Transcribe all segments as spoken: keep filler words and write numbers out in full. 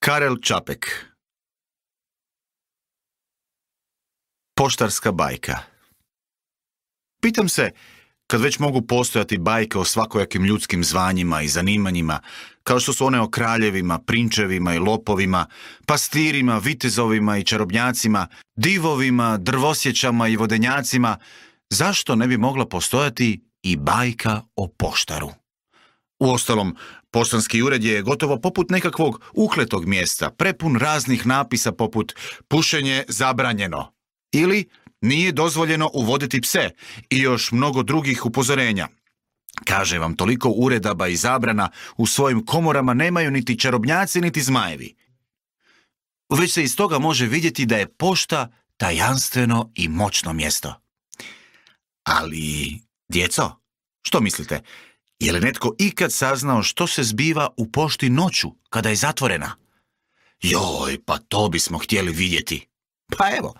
Karel Čapek. Poštarska bajka. Pitam se, kad već mogu postojati bajke o svakojakim ljudskim zvanjima i zanimanjima, kao što su one o kraljevima, prinčevima i lopovima, pastirima, vitezovima i čarobnjacima, divovima, drvosjećama i vodenjacima, zašto ne bi mogla postojati i bajka o poštaru? Uostalom, poštanski ured je gotovo poput nekakvog ukletog mjesta, prepun raznih napisa poput pušenje zabranjeno ili nije dozvoljeno uvoditi pse i još mnogo drugih upozorenja. Kaže vam, toliko uredaba i zabrana u svojim komorama nemaju niti čarobnjaci niti zmajevi. Već se iz toga može vidjeti da je pošta tajanstveno i moćno mjesto. Ali, djeco, što mislite? Je li netko ikad saznao što se zbiva u pošti noću, kada je zatvorena? Joj, pa to bismo htjeli vidjeti. Pa evo,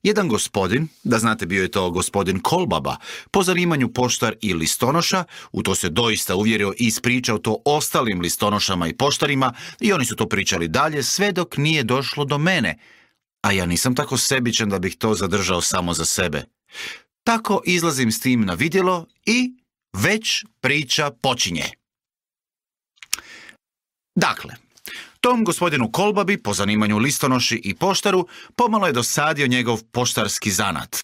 jedan gospodin, da znate bio je to gospodin Kolbaba, po zanimanju poštar i listonoša, u to se doista uvjerio i ispričao to ostalim listonošama i poštarima i oni su to pričali dalje sve dok nije došlo do mene, a ja nisam tako sebičan da bih to zadržao samo za sebe. Tako izlazim s tim na vidjelo i već priča počinje. Dakle, tom gospodinu Kolbabi, po zanimanju listonoši i poštaru, pomalo je dosadio njegov poštarski zanat.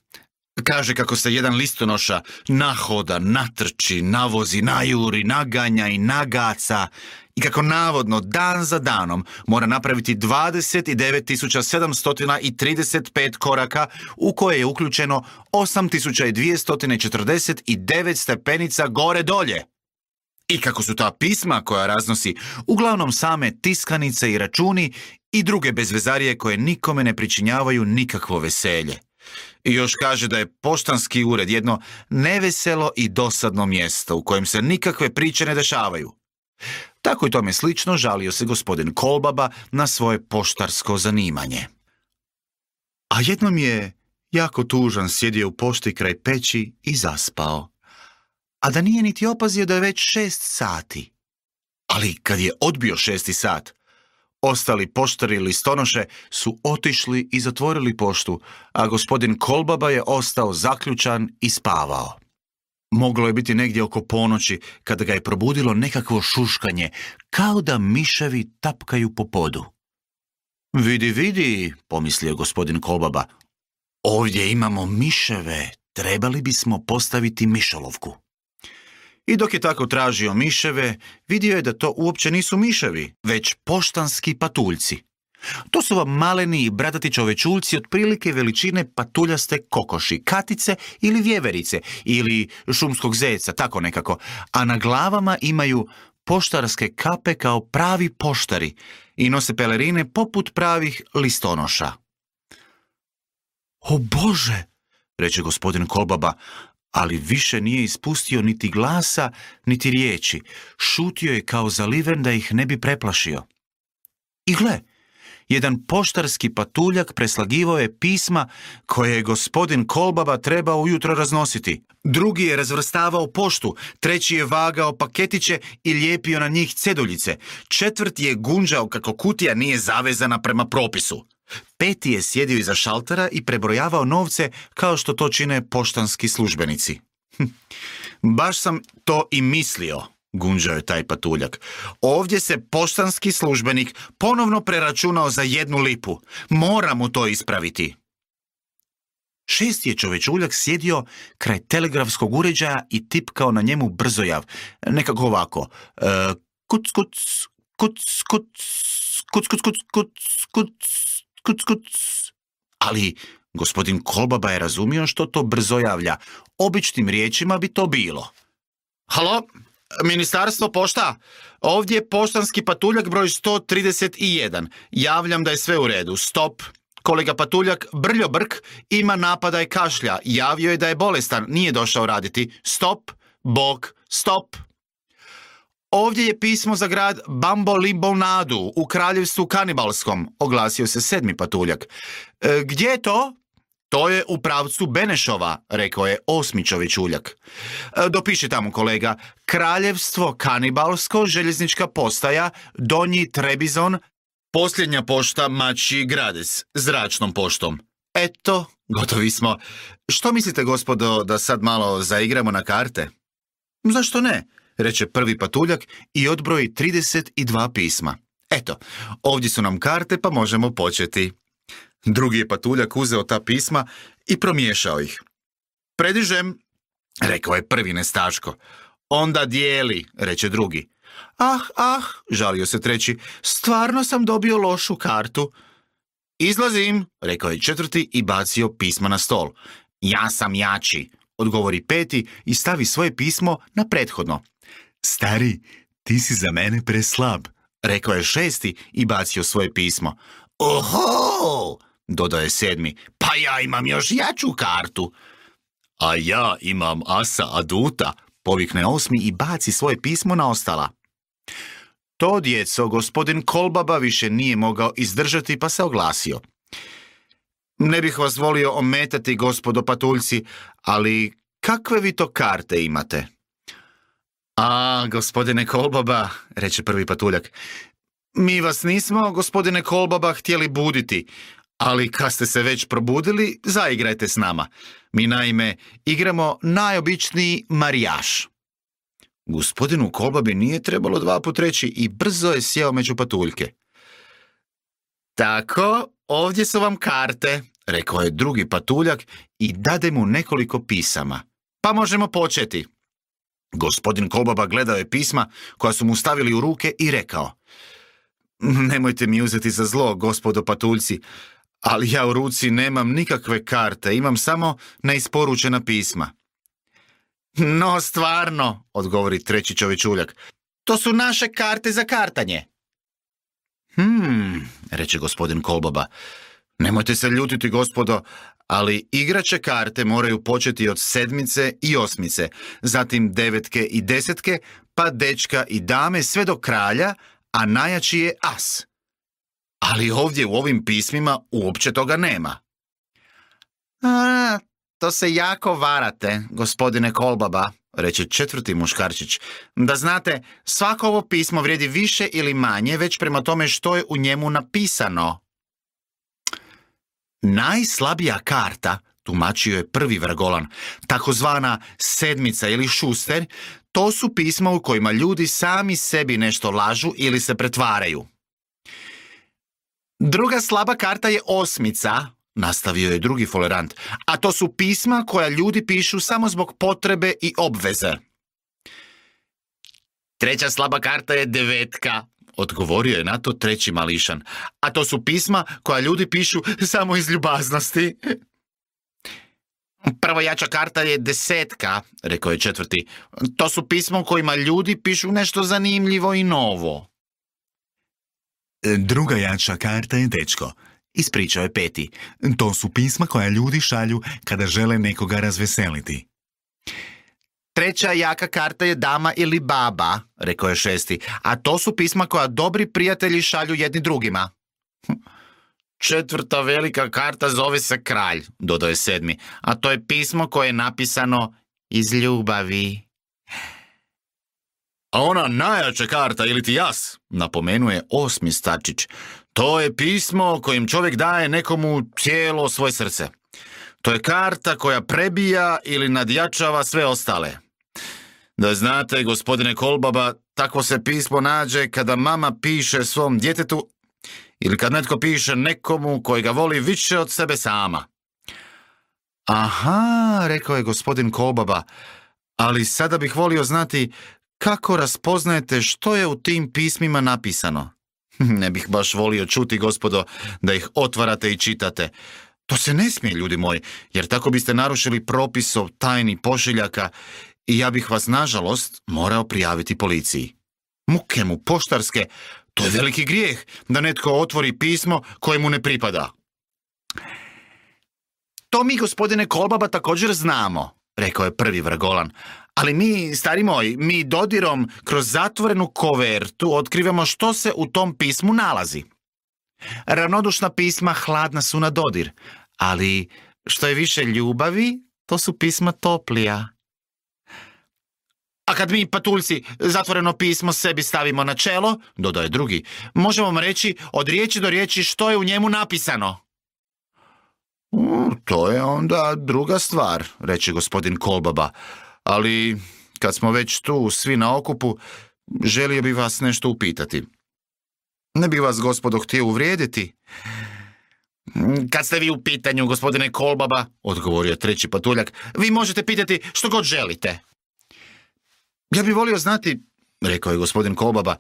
Kaže kako se jedan listonoša nahoda, natrči, navozi, najuri, naganja i nagaca i kako navodno dan za danom mora napraviti dvadeset devet tisuća sedamsto trideset pet koraka u koje je uključeno osam tisuća dvjesto četrdeset devet stepenica gore dolje. I kako su ta pisma koja raznosi uglavnom same tiskanice i računi i druge bezvezarije koje nikome ne pričinjavaju nikakvo veselje. I još kaže da je poštanski ured jedno neveselo i dosadno mjesto u kojem se nikakve priče ne dešavaju. Tako i tome slično žalio se gospodin Kolbaba na svoje poštarsko zanimanje. A jednom je jako tužan sjedio u pošti kraj peći i zaspao. A da nije niti opazio da je već šest sati. Ali kad je odbio šesti sat, ostali poštari i listonoše su otišli i zatvorili poštu, a gospodin Kolbaba je ostao zaključan i spavao. Moglo je biti negdje oko ponoći kada ga je probudilo nekakvo šuškanje, kao da miševi tapkaju po podu. Vidi, vidi, pomislio gospodin Kolbaba, ovdje imamo miševe, trebali bismo postaviti mišolovku. I dok je tako tražio miševe, vidio je da to uopće nisu miševi, već poštanski patuljci. To su vam maleni i bradati čovečulci otprilike veličine patuljaste kokoši, katice ili vjeverice ili šumskog zeca, tako nekako, a na glavama imaju poštarske kape kao pravi poštari i nose pelerine poput pravih listonoša. O Bože, reče gospodin Kolbaba, ali više nije ispustio niti glasa, niti riječi. Šutio je kao zaliven da ih ne bi preplašio. I gle, jedan poštarski patuljak preslagivao je pisma koje je gospodin Kolbaba trebao ujutro raznositi. Drugi je razvrstavao poštu, treći je vagao paketiće i lijepio na njih ceduljice. Četvrti je gunđao kako kutija nije zavezana prema propisu. Peti je sjedio iza šaltera i prebrojavao novce kao što to čine poštanski službenici. Hm, baš sam to i mislio, gunđao je taj patuljak. Ovdje se poštanski službenik ponovno preračunao za jednu lipu. Moram mu to ispraviti. Šesti je čovečuljak sjedio kraj telegrafskog uređaja i tipkao na njemu brzojav. Nekako ovako. E, kuc, kuc, kuc, kuc, kuc, kuc, kuc, kuc, kuc. Kuc, kuc. Ali gospodin Kolbaba je razumio što to brzo javlja. Običnim riječima bi to bilo. Halo, ministarstvo pošta? Ovdje je poštanski patuljak broj sto trideset jedan. Javljam da je sve u redu. Stop. Kolega patuljak Brljo Brk ima napadaj kašlja. Javio je da je bolestan. Nije došao raditi. Stop. Bog. Stop. Ovdje je pismo za grad Bambolibonadu u kraljevstvu Kanibalskom, oglasio se sedmi patuljak. E, gdje je to? To je u pravcu Benešova, rekao je osmi čovječuljak. E, dopiši tamo, kolega. Kraljevstvo Kanibalsko, željeznička postaja, Donji Trebizon, Posljednja pošta mači Grades, zračnom poštom. Eto, gotovi smo. Što mislite, gospodo, da sad malo zaigramo na karte? Zašto ne? Reče prvi patuljak i odbroji trideset dva pisma. Eto, ovdje su nam karte pa možemo početi. Drugi je patuljak uzeo ta pisma i promiješao ih. Predižem, rekao je prvi nestaško. Onda dijeli, reče drugi. Ah, ah, žalio se treći, stvarno sam dobio lošu kartu. Izlazim, rekao je četvrti i bacio pisma na stol. Ja sam jači, odgovori peti i stavi svoje pismo na prethodno. Stari, ti si za mene preslab, rekao je šesti i bacio svoje pismo. Oho, dodaje sedmi, pa ja imam još jaču kartu. A ja imam asa aduta, povikne osmi i baci svoje pismo na ostala. To djeco gospodin Kolbaba više nije mogao izdržati pa se oglasio. Ne bih vas volio ometati, gospodo patuljci, ali kakve vi to karte imate? A, gospodine Kolbaba, reče prvi patuljak, mi vas nismo, gospodine Kolbaba, htjeli buditi, ali kad ste se već probudili, zaigrajte s nama. Mi naime igramo najobičniji marijaš. Gospodinu Kolbabi nije trebalo dva put reći i brzo je sjeo među patuljke. Tako, ovdje su vam karte, rekao je drugi patuljak i dade mu nekoliko pisama. Pa možemo početi. Gospodin Kolbaba gledao je pisma koja su mu stavili u ruke i rekao. Nemojte mi uzeti za zlo, gospodo patuljci, ali ja u ruci nemam nikakve karte, imam samo neisporučena pisma. No, stvarno, odgovori treći čovječuljak, to su naše karte za kartanje. Hmm, reče gospodin Kolbaba, nemojte se ljutiti, gospodo, ali igrače karte moraju početi od sedmice i osmice, zatim devetke i desetke, pa dečka i dame sve do kralja, a najjači je as. Ali ovdje u ovim pismima uopće toga nema. A, to se jako varate, gospodine Kolbaba, reče četvrti muškarčić. Da znate, svako ovo pismo vrijedi više ili manje, već prema tome što je u njemu napisano. Najslabija karta, tumačio je prvi Vrgolan, takozvana sedmica ili šuster, to su pisma u kojima ljudi sami sebi nešto lažu ili se pretvaraju. Druga slaba karta je osmica, nastavio je drugi folerant, a to su pisma koja ljudi pišu samo zbog potrebe i obveze. Treća slaba karta je devetka, odgovorio je na to treći mališan, a to su pisma koja ljudi pišu samo iz ljubaznosti. Prva jača karta je desetka, rekao je četvrti. To su pisma u kojima ljudi pišu nešto zanimljivo i novo. Druga jača karta je dečko, ispričao je peti. To su pisma koja ljudi šalju kada žele nekoga razveseliti. Treća jaka karta je dama ili baba, rekao je šesti, a to su pisma koja dobri prijatelji šalju jedni drugima. Četvrta velika karta zove se kralj, dodao je sedmi, a to je pismo koje je napisano iz ljubavi. A ona najjača karta, ili ti jas, napomenuje osmi starčić, to je pismo kojim čovjek daje nekomu cijelo svoje srce. To je karta koja prebija ili nadjačava sve ostale. Da znate, gospodine Kolbaba, takvo se pismo nađe kada mama piše svom djetetu ili kad netko piše nekomu koji ga voli više od sebe sama. Aha, rekao je gospodin Kolbaba, ali sada bih volio znati kako raspoznajete što je u tim pismima napisano. Ne bih baš volio čuti, gospodo, da ih otvarate i čitate. To se ne smije, ljudi moji, jer tako biste narušili propis o tajni pošiljaka i ja bih vas, nažalost, morao prijaviti policiji. Muke mu poštarske, to je veliki grijeh da netko otvori pismo koje mu ne pripada. To mi, gospodine Kolbaba, također znamo, rekao je prvi Vrgolan, ali mi, stari moj, mi dodirom kroz zatvorenu kovertu otkrivamo što se u tom pismu nalazi. Ravnodušna pisma hladna su na dodir, ali što je više ljubavi, to su pisma toplija. A kad mi, patuljci, zatvoreno pismo sebi stavimo na čelo, dodaje drugi, možemo vam reći od riječi do riječi što je u njemu napisano. U, to je onda druga stvar, reče gospodin Kolbaba, ali kad smo već tu svi na okupu, želio bih vas nešto upitati. Ne bih vas, gospodo, htio uvrijediti. Kad ste vi u pitanju, gospodine Kolbaba, odgovorio treći patuljak, vi možete pitati što god želite. Ja bih volio znati, rekao je gospodin Kolbaba,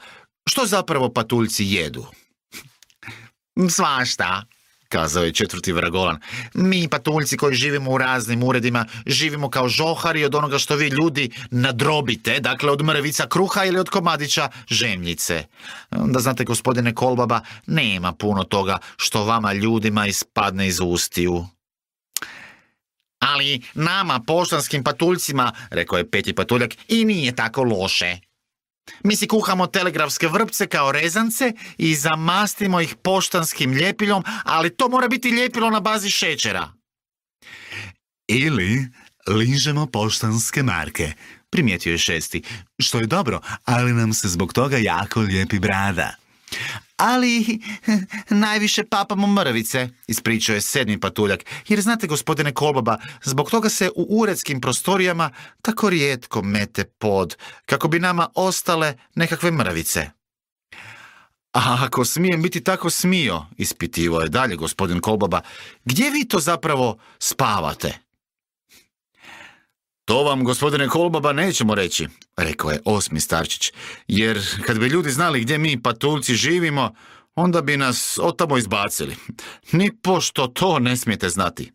što zapravo patuljci jedu. Svašta, kazao je četvrti vragolan. Mi, patuljci koji živimo u raznim uredima, živimo kao žohari od onoga što vi ljudi nadrobite, dakle od mrvica kruha ili od komadića žemljice. Da znate, gospodine Kolbaba, nema puno toga što vama ljudima ispadne iz ustiju. Ali nama, poštanskim patuljcima, rekao je peti patuljak, i nije tako loše. Mi si kuhamo telegrafske vrpce kao rezance i zamastimo ih poštanskim ljepiljom, ali to mora biti ljepilo na bazi šećera. Ili ližemo poštanske marke, primijetio je šesti, što je dobro, ali nam se zbog toga jako lijepi brada. Ali najviše papamo mrvice, ispričao je sedmi patuljak, jer znate, gospodine Kolbaba, zbog toga se u uredskim prostorijama tako rijetko mete pod, kako bi nama ostale nekakve mrvice. A ako smijem biti tako smio, ispitivao je dalje gospodin Kolbaba, gdje vi to zapravo spavate? To vam, gospodine Kolbaba, nećemo reći, rekao je osmi starčić, jer kad bi ljudi znali gdje mi patuljci živimo, onda bi nas otamo izbacili. Ni pošto to ne smijete znati.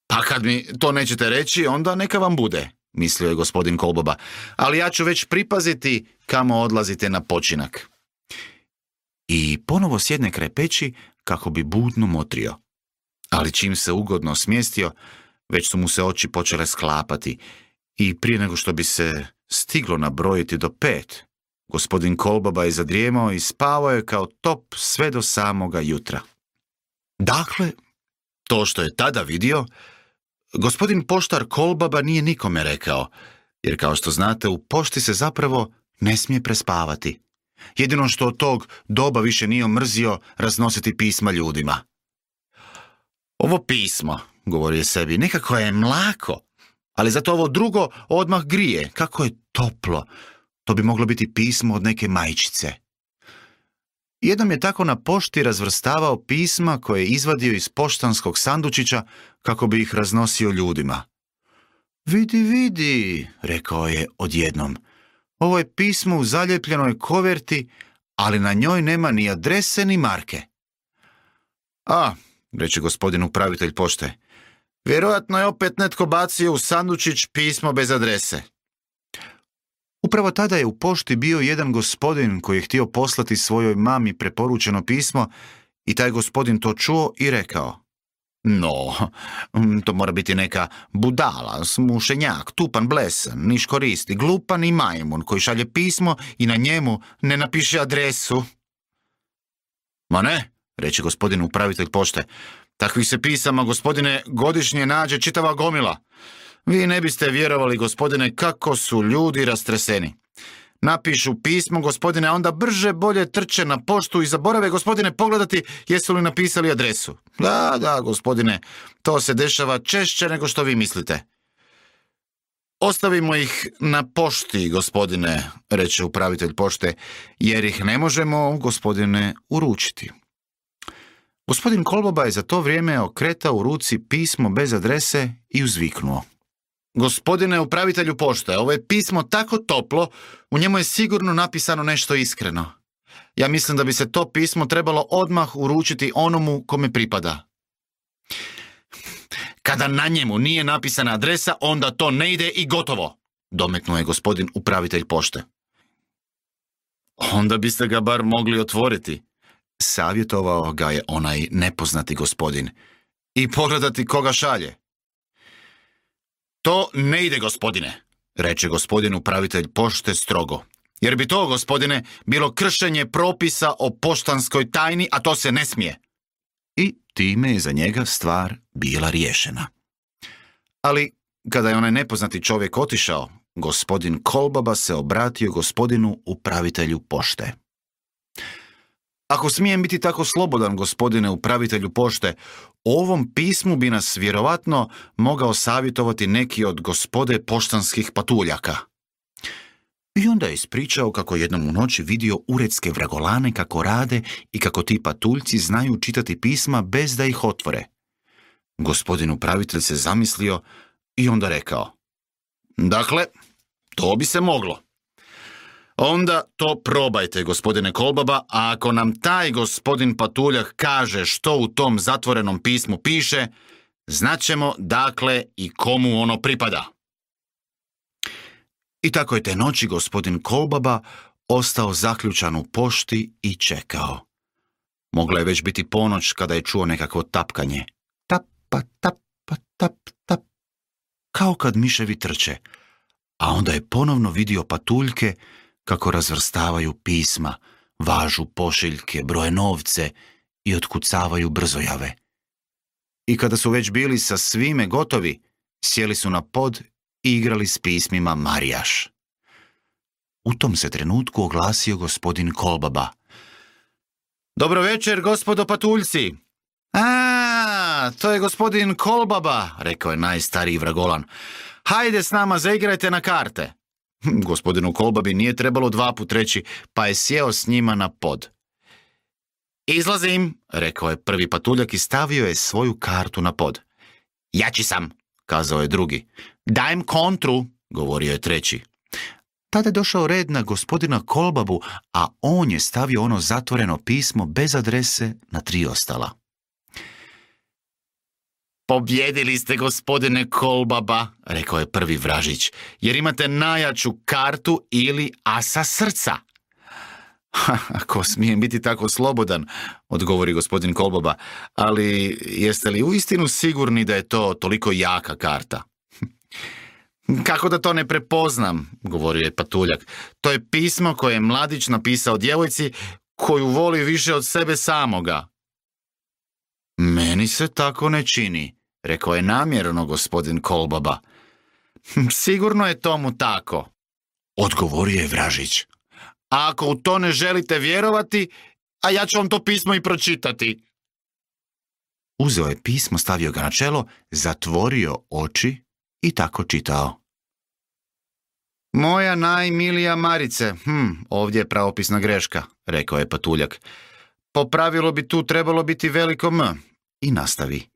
Pa kad mi to nećete reći, onda neka vam bude, mislio je gospodin Kolbaba, ali ja ću već pripaziti kamo odlazite na počinak. I ponovo sjedne kraj peći kako bi budno motrio. Ali čim se ugodno smjestio, već su mu se oči počele sklapati i prije nego što bi se stiglo nabrojiti do pet, gospodin Kolbaba je zadrijemao i spavao je kao top sve do samoga jutra. Dakle, to što je tada vidio, gospodin poštar Kolbaba nije nikome rekao, jer kao što znate, u pošti se zapravo ne smije prespavati. Jedino što od tog doba više nije omrzio raznositi pisma ljudima. Ovo pismo, govorio je sebi, nekako je mlako, ali zato ovo drugo odmah grije. Kako je toplo. To bi moglo biti pismo od neke majčice. Jednom je tako na pošti razvrstavao pisma koje je izvadio iz poštanskog sandučića kako bi ih raznosio ljudima. Vidi, vidi, rekao je odjednom. Ovo je pismo u zaljepljenoj koverti, ali na njoj nema ni adrese ni marke. A, reče gospodin upravitelj pošte, vjerojatno je opet netko bacio u sandučić pismo bez adrese. Upravo tada je u pošti bio jedan gospodin koji je htio poslati svojoj mami preporučeno pismo i taj gospodin to čuo i rekao: No, to mora biti neka budala, smušenjak, tupan, blesan, niš koristi, glupan i majmun koji šalje pismo i na njemu ne napiše adresu. Ma ne, reče gospodin upravitelj pošte, takvih se pisama, gospodine, godišnje nađe čitava gomila. Vi ne biste vjerovali, gospodine, kako su ljudi rastreseni. Napišu pismo, gospodine, a onda brže bolje trče na poštu i zaborave, gospodine, pogledati jesu li napisali adresu. Da, da, gospodine, to se dešava češće nego što vi mislite. Ostavimo ih na pošti, gospodine, reče upravitelj pošte, jer ih ne možemo, gospodine, uručiti. Gospodin Kolbaba je za to vrijeme okretao u ruci pismo bez adrese i uzviknuo: Gospodine upravitelju pošte, ovo je pismo tako toplo, u njemu je sigurno napisano nešto iskreno. Ja mislim da bi se to pismo trebalo odmah uručiti onomu kome pripada. Kada na njemu nije napisana adresa, onda to ne ide i gotovo, dometnuo je gospodin upravitelj pošte. Onda biste ga bar mogli otvoriti, savjetovao ga je onaj nepoznati gospodin, i pogledati koga šalje. To ne ide, gospodine, reče gospodin upravitelj pošte strogo, jer bi to, gospodine, bilo kršenje propisa o poštanskoj tajni, a to se ne smije. I time je za njega stvar bila riješena. Ali kada je onaj nepoznati čovjek otišao, gospodin Kolbaba se obratio gospodinu upravitelju pošte. Ako smijem biti tako slobodan, gospodine upravitelju pošte, o ovom pismu bi nas vjerovatno mogao savjetovati neki od gospode poštanskih patuljaka. I onda je ispričao kako jednom u noći vidio uredske vragolane kako rade i kako ti patuljci znaju čitati pisma bez da ih otvore. Gospodin upravitelj se zamislio i onda rekao: dakle, to bi se moglo. Onda to probajte, gospodine Kolbaba, a ako nam taj gospodin patuljak kaže što u tom zatvorenom pismu piše, znaćemo dakle i komu ono pripada. I tako je te noći gospodin Kolbaba ostao zaključan u pošti i čekao. Mogla je već biti ponoć kada je čuo nekakvo tapkanje. Tap, pa, tap, pa, tap, tap. Kao kad miševi trče. A onda je ponovno vidio patuljke kako razvrstavaju pisma, važu pošiljke, broje novce i otkucavaju brzojave. I kada su već bili sa svime gotovi, sjeli su na pod i igrali s pismima marijaš. U tom se trenutku oglasio gospodin Kolbaba. Dobro večer, gospodo patuljci. A, to je gospodin Kolbaba, rekao je najstariji vragolan. Hajde s nama, zaigrajte na karte. Gospodinu Kolbabi nije trebalo dva put reći, pa je sjeo s njima na pod. Izlazim, rekao je prvi patuljak i stavio je svoju kartu na pod. Jači sam, kazao je drugi. Dajem kontru, govorio je treći. Tada je došao red na gospodina Kolbabu, a on je stavio ono zatvoreno pismo bez adrese na tri ostala. Pobjedili ste, gospodine Kolbaba, rekao je prvi vražić, jer imate najjaču kartu ili asa srca. Ako smijem biti tako slobodan, odgovori gospodin Kolbaba, ali jeste li uistinu sigurni da je to toliko jaka karta? Kako da to ne prepoznam, govorio je patuljak. To je pismo koje je mladić napisao djevojci koju voli više od sebe samoga. Meni se tako ne čini, rekao je namjerno gospodin Kolbaba. Sigurno je tomu tako, odgovorio je vražić. A ako u to ne želite vjerovati, a ja ću vam to pismo i pročitati. Uzeo je pismo, stavio ga na čelo, zatvorio oči i tako čitao. Moja najmilija Marice, hm, ovdje je pravopisna greška, rekao je patuljak. Po pravilu bi tu trebalo biti veliko M. I nastavi.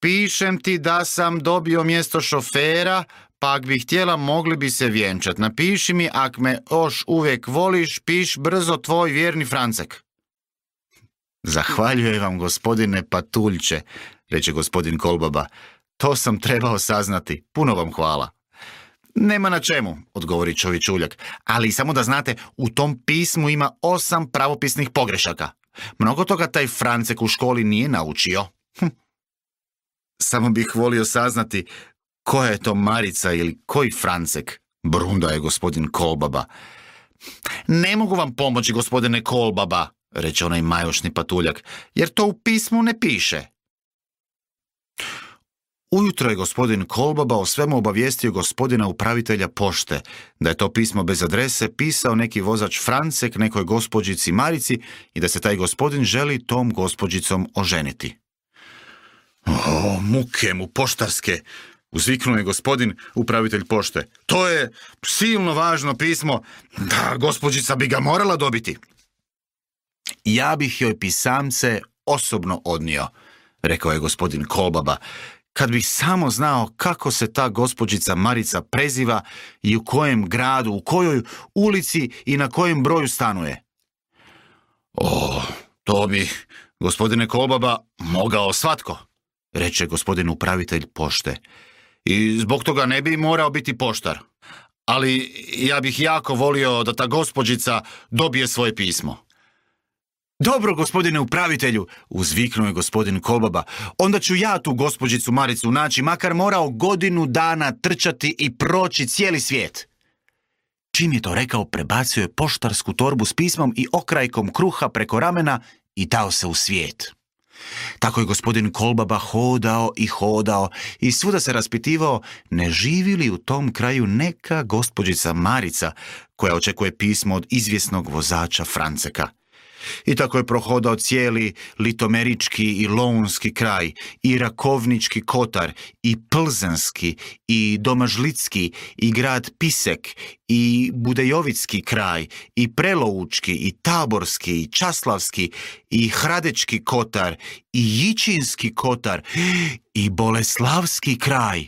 Pišem ti da sam dobio mjesto šofera, pa ak bi htjela mogli bi se vjenčat. Napiši mi, ak me još uvijek voliš, piš brzo tvoj vjerni Francek. Zahvaljujem vam, gospodine patuljče, reče gospodin Kolbaba. To sam trebao saznati. Puno vam hvala. Nema na čemu, odgovori čovječuljak, ali samo da znate, u tom pismu ima osam pravopisnih pogrešaka. Mnogo toga taj Francek u školi nije naučio. Hm. Samo bih volio saznati koja je to Marica ili koji Francek, brunda je gospodin Kolbaba. Ne mogu vam pomoći, gospodine Kolbaba, reče onaj majošni patuljak, jer to u pismu ne piše. Ujutro je gospodin Kolbaba o svemu obavijestio gospodina upravitelja pošte, da je to pismo bez adrese pisao neki vozač Francek nekoj gospođici Marici i da se taj gospodin želi tom gospođicom oženiti. O, muke mu poštarske, uzviknuo je gospodin upravitelj pošte. To je silno važno pismo, da gospođica bi ga morala dobiti. Ja bih joj pisamce osobno odnio, rekao je gospodin Kolbaba, kad bih samo znao kako se ta gospođica Marica preziva i u kojem gradu, u kojoj ulici i na kojem broju stanuje. O, to bi, gospodine Kolbaba, mogao svatko, reče gospodin upravitelj pošte. I zbog toga ne bi morao biti poštar. Ali ja bih jako volio da ta gospođica dobije svoje pismo. Dobro, gospodine upravitelju, uzviknuo je gospodin Kolbaba, onda ću ja tu gospođicu Maricu naći, makar morao godinu dana trčati i proći cijeli svijet. Čim je to rekao, prebacio je poštarsku torbu s pismom i okrajkom kruha preko ramena i dao se u svijet. Tako je gospodin Kolbaba hodao i hodao i svuda se raspitivao ne živi li u tom kraju neka gospođica Marica koja očekuje pismo od izvjesnog vozača Franceka. I tako je prohodao cijeli litomerički i lounski kraj, i rakovnički kotar, i plzenski, i domažlicki, i grad Pisek, i budejovicki kraj, i preloučki, i taborski, i časlavski, i hradečki kotar, i jičinski kotar, i boleslavski kraj.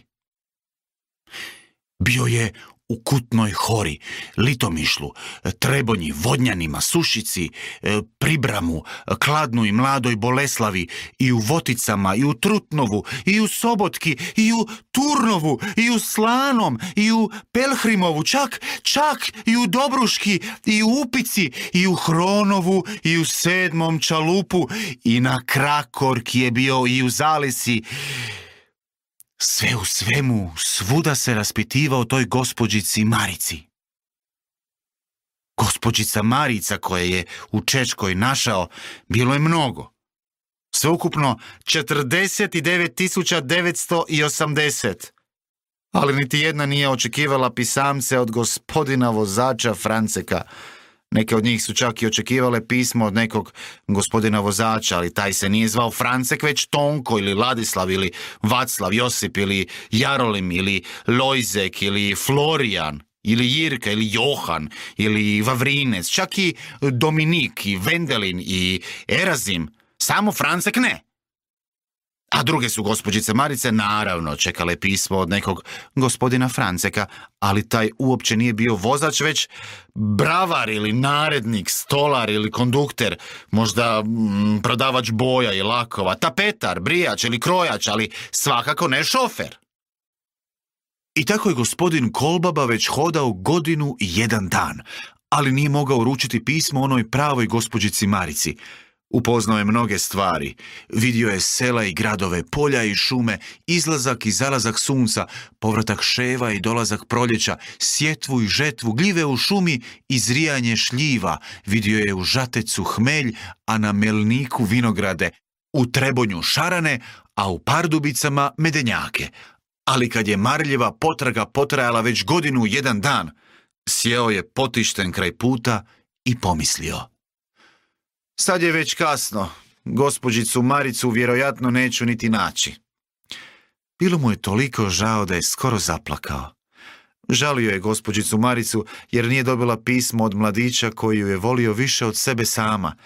Bio je u Kutnoj Hori, Litomišlu, Trebonji, Vodnjanima, Sušici, Pribramu, Kladnu i Mladoj Boleslavi, i u Voticama, i u Trutnovu, i u Sobotki, i u Turnovu, i u Slanom, i u Pelhrimovu, čak, čak i u Dobruški, i u Upici, i u Hronovu, i u Sedmom Čalupu, i na Krakorki je bio i u Zalesi. Sve u svemu, svuda se raspitivao toj gospođici Marici. Gospođica Marica koje je u Čečkoj našao bilo je mnogo. Sveukupno četrdeset devet tisuća devetsto osamdeset. Ali niti jedna nije očekivala pisamce od gospodina vozača Franceka. Neke od njih su čak i očekivale pismo od nekog gospodina vozača, ali taj se nije zvao Francek, već Tonko ili Ladislav ili Vaclav, Josip ili Jarolim ili Lojzek ili Florijan ili Jirka ili Johan ili Vavrinec, čak i Dominik i Vendelin i Erazim, samo Francek ne. A druge su gospođice Marice naravno čekale pismo od nekog gospodina Franceka, ali taj uopće nije bio vozač, već bravar ili narednik, stolar ili kondukter, možda mm, prodavač boja i lakova, tapetar, brijač ili krojač, ali svakako ne šofer. I tako je gospodin Kolbaba već hodao godinu i jedan dan, ali nije mogao uručiti pismo onoj pravoj gospođici Marici. Upoznao je mnoge stvari, vidio je sela i gradove, polja i šume, izlazak i zalazak sunca, povratak ševa i dolazak proljeća, sjetvu i žetvu, gljive u šumi i zrijanje šljiva, vidio je u Žatecu hmelj, a na Melniku vinograde, u Trebonju šarane, a u Pardubicama medenjake. Ali kad je marljiva potraga potrajala već godinu i jedan dan, sjeo je potišten kraj puta i pomislio: sad je već kasno, gospođicu Maricu vjerojatno neću niti naći. Bilo mu je toliko žao da je skoro zaplakao. Žalio je gospođicu Maricu jer nije dobila pismo od mladića koji ju je volio više od sebe sama.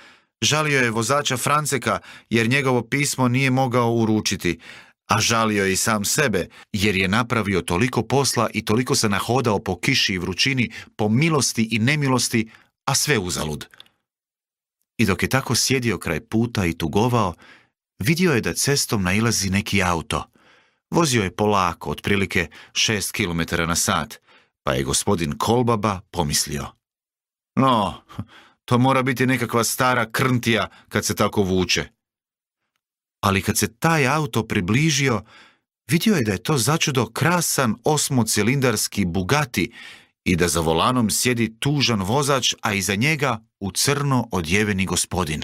Žalio je vozača Franceka jer njegovo pismo nije mogao uručiti, a žalio je i sam sebe jer je napravio toliko posla i toliko se nahodao po kiši i vrućini, po milosti i nemilosti, a sve uzalud. I dok je tako sjedio kraj puta i tugovao, vidio je da cestom nailazi neki auto. Vozio je polako, otprilike šest kilometara na sat, pa je gospodin Kolbaba pomislio: no, to mora biti nekakva stara krntija kad se tako vuče. Ali kad se taj auto približio, vidio je da je to začudo krasan osmocilindarski Bugatti i da za volanom sjedi tužan vozač, a iza njega u crno odjeveni gospodin.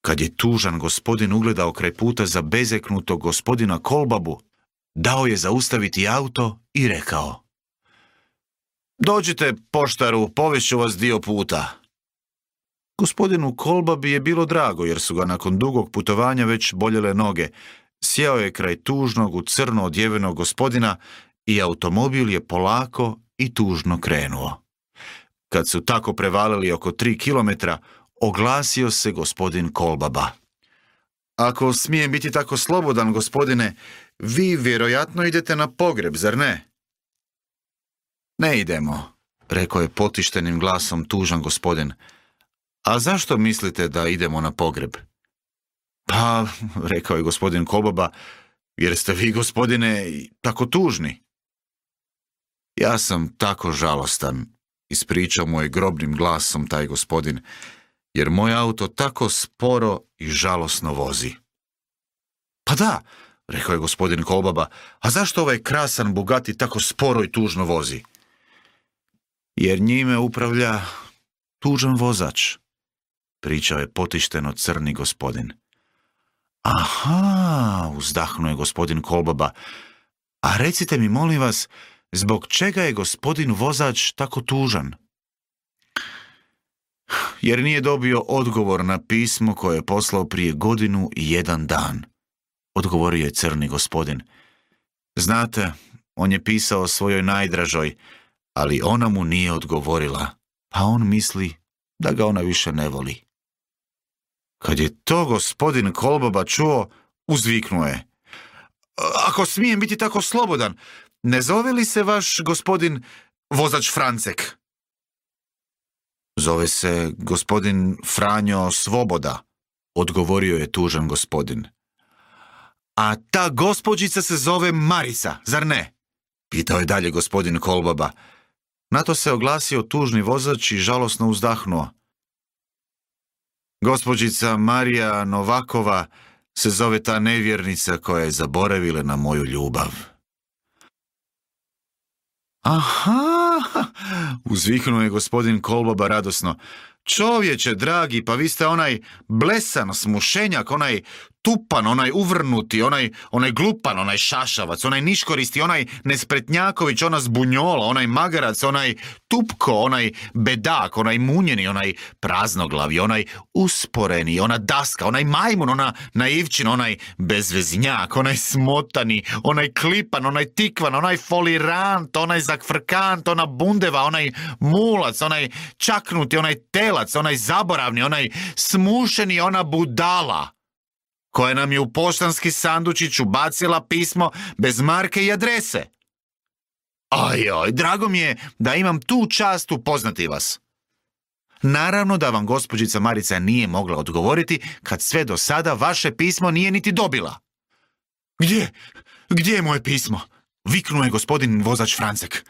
Kad je tužan gospodin ugledao kraj puta za bezeknutog gospodina Kolbabu, dao je zaustaviti auto i rekao: dođite, poštaru, povešću vas dio puta. Gospodinu Kolbabi je bilo drago jer su ga nakon dugog putovanja već boljele noge. Sjeo je kraj tužnog u crno odjevenog gospodina i automobil je polako i tužno krenuo. Kad su tako prevalili oko tri kilometra, oglasio se gospodin Kolbaba: ako smijem biti tako slobodan, gospodine, vi vjerojatno idete na pogreb, zar ne? Ne idemo, rekao je potištenim glasom tužan gospodin. A zašto mislite da idemo na pogreb? Pa, rekao je gospodin Kolbaba, jer ste vi, gospodine, tako tužni. Ja sam tako žalostan, ispričao mu je grobnim glasom taj gospodin, jer moj auto tako sporo i žalosno vozi. Pa da, rekao je gospodin Kolbaba, a zašto ovaj krasan Bugatti tako sporo i tužno vozi? Jer njime upravlja tužan vozač, pričao je potišteno crni gospodin. Aha, uzdahnuo je gospodin Kolbaba. A recite mi, molim vas, zbog čega je gospodin vozač tako tužan? Jer nije dobio odgovor na pismo koje je poslao prije godinu i jedan dan, odgovorio je crni gospodin. Znate, on je pisao svojoj najdražoj, ali ona mu nije odgovorila, pa on misli da ga ona više ne voli. Kad je to gospodin Kolbaba čuo, uzviknuo je. Ako smijem biti tako slobodan, ne zove li se vaš gospodin vozač Francek? Zove se gospodin Franjo Svoboda, odgovorio je tužan gospodin. A ta gospođica se zove Marica, zar ne? Pitao je dalje gospodin Kolbaba. Na to se oglasio tužni vozač i žalosno uzdahnuo. Gospođica Marija Novakova se zove ta nevjernica koja je zaboravila na moju ljubav. Aha, uzviknuo je gospodin Kolbaba radosno. Čovječe, dragi, pa vi ste onaj blesan smušenjak, onaj tupan, onaj uvrnuti, onaj, onaj glupan, onaj šašavac, onaj niškoristi, onaj nespretnjaković, ona zbunjola, onaj magarac, onaj tupko, onaj bedak, onaj munjeni, onaj praznoglavi, onaj usporeni, ona daska, onaj majmun, ona naivčin, onaj bezveznjak, onaj smotani, onaj klipan, onaj tikvan, onaj folirant, onaj zakfrkant, ona bundeva, onaj mulac, onaj čaknuti, onaj telac, onaj zaboravni, onaj smušeni, ona budala koja nam je u poštanski sandučić ubacila pismo bez marke i adrese. Ajoj, drago mi je da imam tu čast upoznati vas. Naravno da vam gospođica Marica nije mogla odgovoriti kad sve do sada vaše pismo nije niti dobila. Gdje? Gdje je moje pismo? Viknuo je gospodin vozač Francek.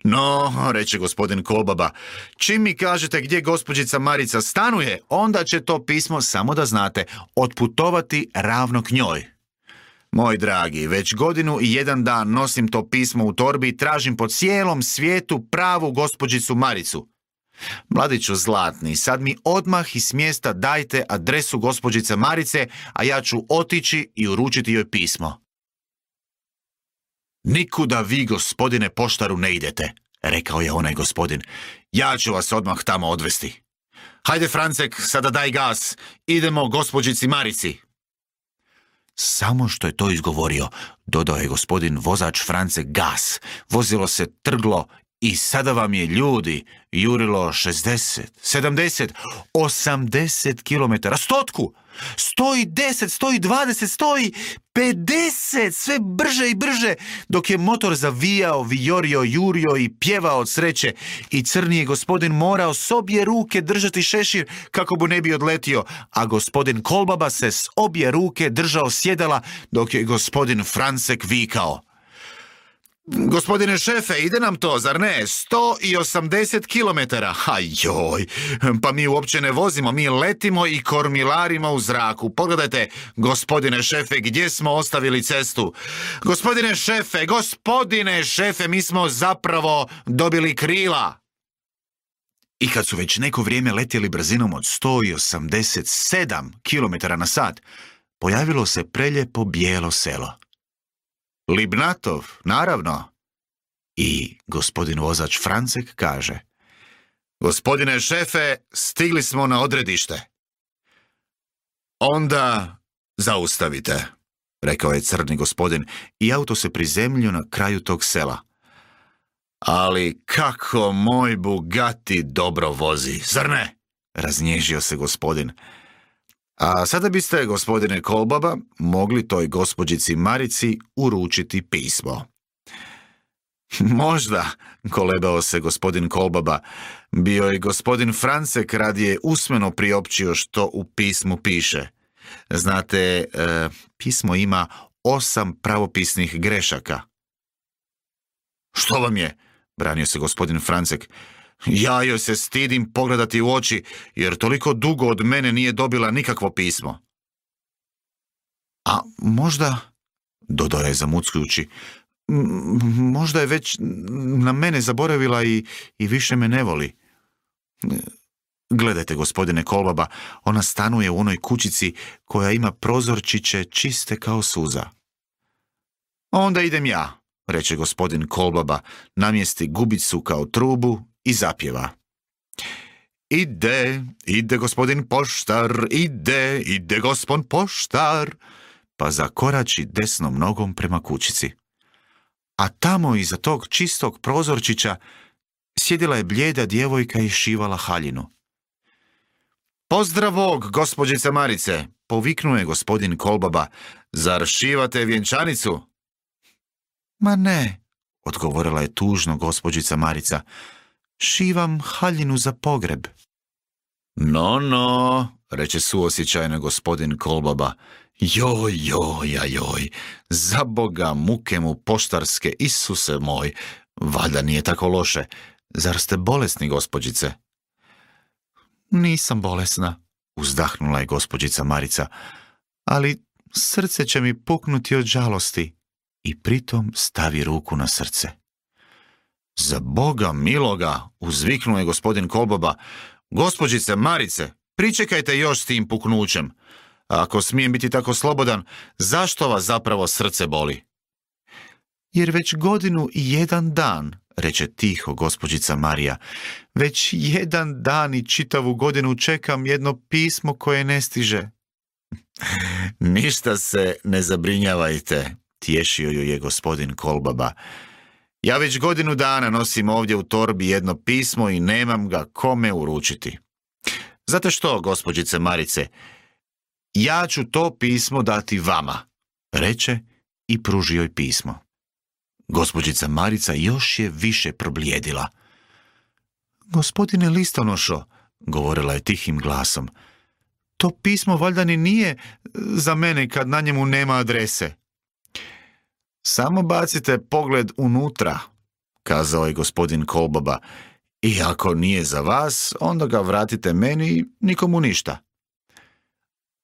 No, reče gospodin Kolbaba, čim mi kažete gdje gospođica Marica stanuje, onda će to pismo, samo da znate, otputovati ravno k njoj. Moj dragi, već godinu i jedan dan nosim to pismo u torbi i tražim po cijelom svijetu pravu gospođicu Maricu. Mladiću zlatni, sad mi odmah iz mjesta dajte adresu gospođice Marice, a ja ću otići i uručiti joj pismo. Nikuda vi, gospodine poštaru, ne idete, rekao je onaj gospodin. Ja ću vas odmah tamo odvesti. Hajde, Francek, sada daj gas. Idemo gospođici Marici. Samo što je to izgovorio, dodao je gospodin vozač Francek gas. Vozilo se trglo i sada vam je, ljudi, jurilo šezdeset, sedamdeset, osamdeset kilometara, stotku, sto i deset, sto i dvadeset, sto i pedeset, sve brže i brže, dok je motor zavijao, vijorio, jurio i pjevao od sreće i crni je gospodin morao s obje ruke držati šešir kako mu ne bi odletio, a gospodin Kolbaba se s obje ruke držao sjedala dok je gospodin Francek vikao. Gospodine šefe, ide nam to, zar ne? sto osamdeset kilometara. Ajoj, pa mi uopće ne vozimo, mi letimo i kormilarimo u zraku. Pogledajte, gospodine šefe, gdje smo ostavili cestu? Gospodine šefe, gospodine šefe, mi smo zapravo dobili krila. I kad su već neko vrijeme letjeli brzinom od sto osamdeset sedam kilometara na sat, pojavilo se preljepo bijelo selo. Libnatov, naravno. I gospodin vozač Francek kaže: Gospodine šefe, stigli smo na odredište. Onda zaustavite, rekao je crni gospodin i auto se prizemljio na kraju tog sela. Ali kako moj Bugatti dobro vozi, zar ne? Raznježio se gospodin. A sada biste, gospodine Kolbaba, mogli toj gospođici Marici uručiti pismo. Možda, kolebao se gospodin Kolbaba, bio je gospodin Francek radije usmeno priopćio što u pismu piše. Znate, e, pismo ima osam pravopisnih grešaka. Što vam je? Branio se gospodin Francek. Ja joj se stidim pogledati u oči, jer toliko dugo od mene nije dobila nikakvo pismo. A možda, dodao je zamuckujući, možda je već na mene zaboravila i, i više me ne voli. Gledajte, gospodine Kolbaba, ona stanuje u onoj kućici koja ima prozorčiće čiste kao suza. Onda idem ja, reče gospodin Kolbaba, namjesti gubicu kao trubu i zapjeva. Ide, ide gospodin poštar, ide, ide gospon poštar, pa zakorači desnom nogom prema kućici. A tamo iza tog čistog prozorčića sjedila je blijeda djevojka i šivala haljinu. Pozdravog, gospođice Marice, poviknuo je gospodin Kolbaba, zar šivate vjenčanicu? Ma ne, odgovorila je tužno gospođica Marica, šivam haljinu za pogreb. No, no, reče suosjećajno gospodin Kolbaba, joj, joj, joj, za Boga muke mu poštarske, Isuse moj, valjda nije tako loše, zar ste bolesni, gospođice? Nisam bolesna, uzdahnula je gospođica Marica, ali srce će mi puknuti od žalosti, i pritom stavi ruku na srce. Za Boga miloga, uzviknuo je gospodin Kolbaba, gospođice Marice, pričekajte još s tim puknućem. Ako smijem biti tako slobodan, zašto vas zapravo srce boli? Jer već godinu i jedan dan, reče tiho gospođica Marija, već jedan dan i čitavu godinu čekam jedno pismo koje ne stiže. Ništa se ne zabrinjavajte, tješio ju je gospodin Kolbaba. Ja već godinu dana nosim ovdje u torbi jedno pismo i nemam ga kome uručiti. Znate što, gospođice Marice, ja ću to pismo dati vama, reče i pružio joj pismo. Gospođica Marica još je više problijedila. Gospodine listonošo, govorila je tihim glasom, to pismo valjda ni nije za mene kad na njemu nema adrese. Samo bacite pogled unutra, kazao je gospodin Kolbaba, i ako nije za vas, onda ga vratite meni i nikomu ništa.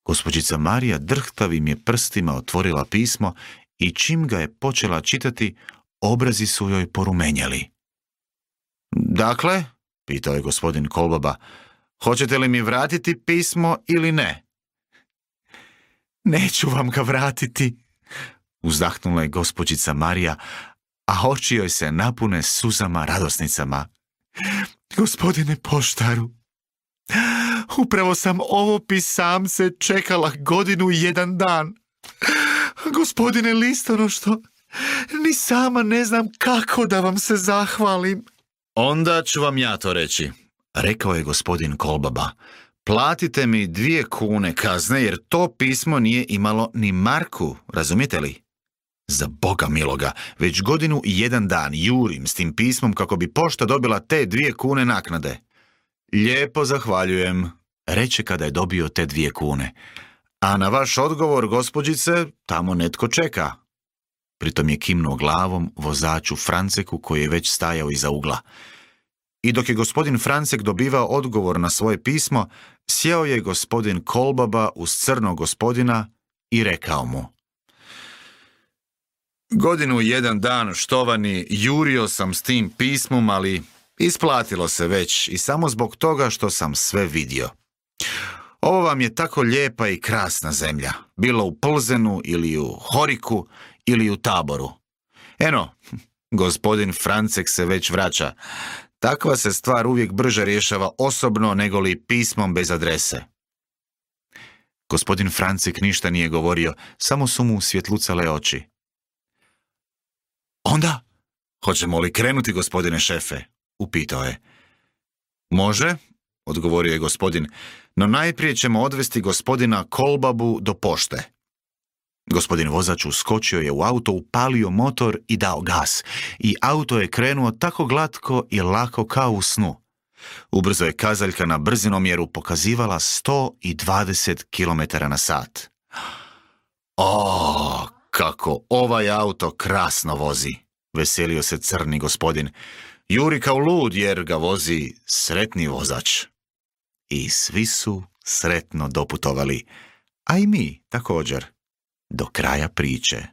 Gospođica Marija drhtavim je prstima otvorila pismo i čim ga je počela čitati, obrazi su joj porumenjali. Dakle, pitao je gospodin Kolbaba, hoćete li mi vratiti pismo ili ne? Neću vam ga vratiti, uzdahnula je gospođica Marija, a oči joj se napune suzama radosnicama. Gospodine poštaru, upravo sam ovo pisamce čekala godinu i jedan dan. Gospodine listonošto, ni sama ne znam kako da vam se zahvalim. Onda ću vam ja to reći, rekao je gospodin Kolbaba. Platite mi dvije kune kazne jer to pismo nije imalo ni marku, razumijete li? Za Boga miloga, već godinu i jedan dan jurim s tim pismom kako bi pošta dobila te dvije kune naknade. Lijepo zahvaljujem, reče kada je dobio te dvije kune. A na vaš odgovor, gospođice, tamo netko čeka. Pritom je kimnuo glavom vozaču Franceku koji je već stajao iza ugla. I dok je gospodin Francek dobivao odgovor na svoje pismo, sjeo je gospodin Kolbaba uz crnog gospodina i rekao mu: Godinu i jedan dan, štovani, jurio sam s tim pismom, ali isplatilo se već i samo zbog toga što sam sve vidio. Ovo vam je tako lijepa i krasna zemlja, bilo u Plzenu ili u Horiku ili u Taboru. Eno, gospodin Francek se već vraća. Takva se stvar uvijek brže rješava osobno nego li pismom bez adrese. Gospodin Francek ništa nije govorio, samo su mu svjetlucale oči. Onda, hoćemo li krenuti, gospodine šefe? Upitao je. Može, odgovorio je gospodin, no najprije ćemo odvesti gospodina Kolbabu do pošte. Gospodin vozač uskočio je u auto, upalio motor i dao gas, i auto je krenuo tako glatko i lako kao u snu. Ubrzo je kazaljka na brzinomjeru pokazivala sto dvadeset kilometara na sat. O, kako ovaj auto krasno vozi, veselio se crni gospodin. Juri kao lud jer ga vozi sretni vozač. I svi su sretno doputovali, a i mi također, do kraja priče.